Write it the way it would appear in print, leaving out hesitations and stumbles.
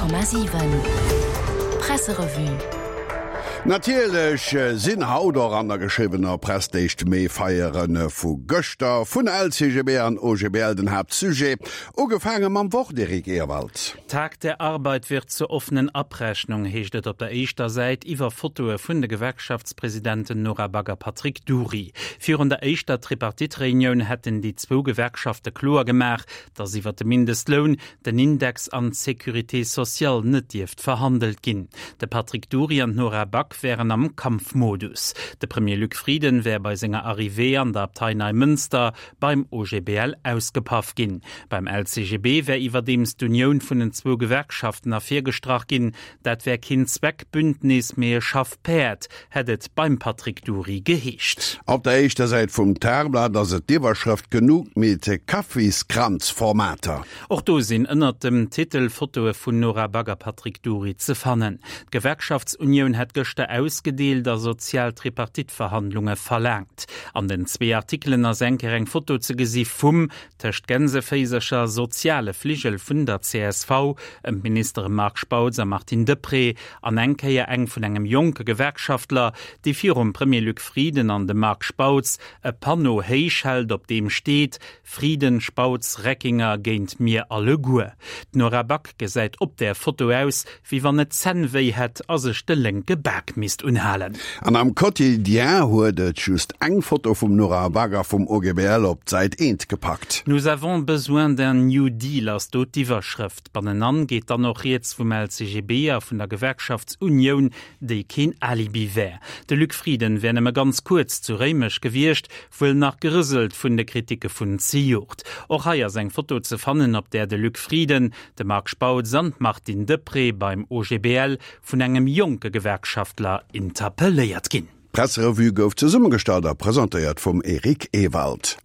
100,7 Presserevue. Natierlech sinn haut och an der geschriwwener Press d'éischt Mee-Feiere vu gëschter vun LCGB an OGBL den Haaptsujet. Ugefaange mam Wort, Eric Ewald. Tag der Arbeit wird zur offenen Abrechnung, heescht et op der éischter Säit iwwer Fotoe vun de Gewerkschaftspresidenten Nora Back a Patrick Dury. Virun der éischter Tripartite-Reunioun hätten déi zwou Gewerkschafte kloer gemaach, datt iwwer de Mindestloun, den Index an d'Sécurité sociale net dierft verhandelt ginn. De Patrick Dury an d'Nora Back wären am Kampfmodus. De Premier Luc Frieden wär bei senger Arrivée an der Abtei Neimënster beim OGBL ausgepaff ginn. Beim LCGB wär iwwerdeems d'Unioun vun den zwou Gewerkschaften ervirgestrach ginn. Dat wär keen Zweckbündnis, mee e Schaffpäerd, hätt et beim Patrick Dury geheescht. Op der éischter Säit vum Tageblatt ass et d'Iwwerschrëft Genug mit Kaffiskranz-Formater. Och do sinn ënnert dem Titel Fotoe vun Nora Back a Patrick Dury ze fannen. D'Gewerkschaftsunioun hätt gëschter ausgedeelt a sozial Tripartite-Verhandlunge verlaangt. An den zwee Artikelen ass eng Kéier eng Foto ze gesi vum, tëscht Gänseféisercher, soziale Fligel vun der csv ëm d'Ministere Marc Spautz a Martine Deprez an eng Kéier eng vun engem jonke Gewerkschaftler, dee virum Premier Luc Frieden an dem Marc Spautz e Panneau héich hält, op deem steet, Frieden, Spautz, Reckinger géint mir alleguer. D'Nora Back gesäit op där Foto aus, wéi wann et d'Zänn wéi hätt a sech de lénke Bak misst unhalen. An am Quotidien huet et just eng Foto vum Nora Back a vum OGBL op d'Säit eent gepackt. Nous avons besoin d'un New Deal ass do d'Iwwerschrëft. Bannenan geet dann och rieds vum LCGB a vun der Gewerkschaftsunioun, déi keen Alibi wär. De Luc Frieden wär nëmme ganz kuerz zu Réimech gewiescht, Wuel nach gerëselt vun de Kritike vun zejoert. Och hei ass eng Foto ze fannen, op där de Luc Frieden, de Marc Spautz an d'Martine Deprez beim OGBL vun engem jonke Gewerkschaftler interpelléiert ginn. D'Presserevue gouf zesummegestallt a presentéiert vum Eric Ewald.